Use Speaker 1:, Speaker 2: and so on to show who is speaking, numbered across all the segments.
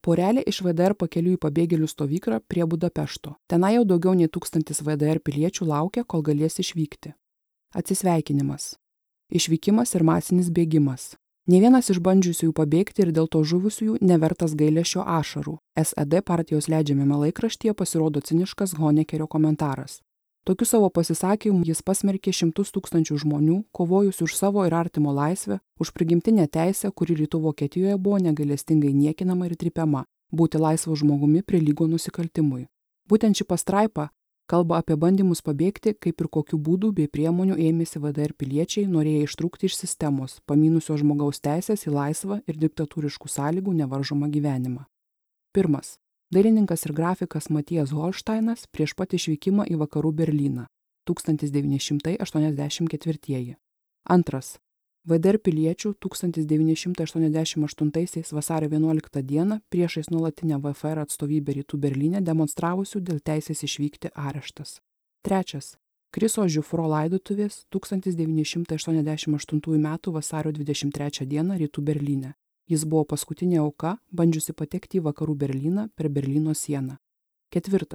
Speaker 1: Porelė iš VDR pakeliui į pabėgėlių stovyklą prie Budapešto. Tenai jau daugiau nei 1000 VDR piliečių laukia, kol galės išvykti. Atsisveikinimas. Išvykimas ir masinis bėgimas. Nė vienas iš bandžiusiųjų pabėgti ir dėl to žuvusiųjų nevertas gailesčio ašarų. SED partijos leidžiamame laikraštyje pasirodo ciniškas Honekerio komentaras. Tokiu savo pasisakymu jis pasmerkė šimtus tūkstančių žmonių, kovojusių už savo ir artimo laisvę, už prigimtinę teisę, kuri rytų Vokietijoje buvo negailestingai niekinama ir trypiama, būti laisvu žmogumi prilygo nusikaltimui. Būtent ši pastraipa kalba apie bandymus pabėgti, kaip ir kokių būdų bei priemonių ėmėsi VDR piliečiai, norėję ištrūkti iš sistemos, pamynusio žmogaus teisės į laisvą ir diktatūriškų sąlygų nevaržomą gyvenimą. 1. Dailininkas ir grafikas Matijas Holšteinas prieš pat išvykimą į vakarų Berlyną 1984. 2. VDR piliečių 1988 vasario 11 dieną priešais nuolatinę VFR atstovybę rytų Berlyne demonstravusių dėl teisės išvykti areštas. 3. Kriso Žiufro laidotuvės 1988 m. vasario 23 d. rytų Berlyne. Jis buvo paskutinė auka, bandžiusi patekti į vakarų Berlyną per Berlyno sieną. 4.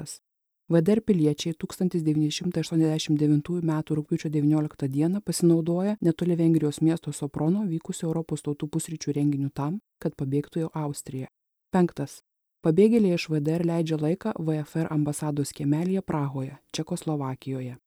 Speaker 1: VDR piliečiai 1989 m. rugpjūčio 19 d. pasinaudoja netoli Vengrijos miesto Soprono vykusio Europos tautų pusryčių renginiu tam, kad pabėgtų į Austriją. 5. Pabėgėliai iš VDR leidžia laiką VFR ambasados kiemelyje Prahoje, Čekoslovakijoje.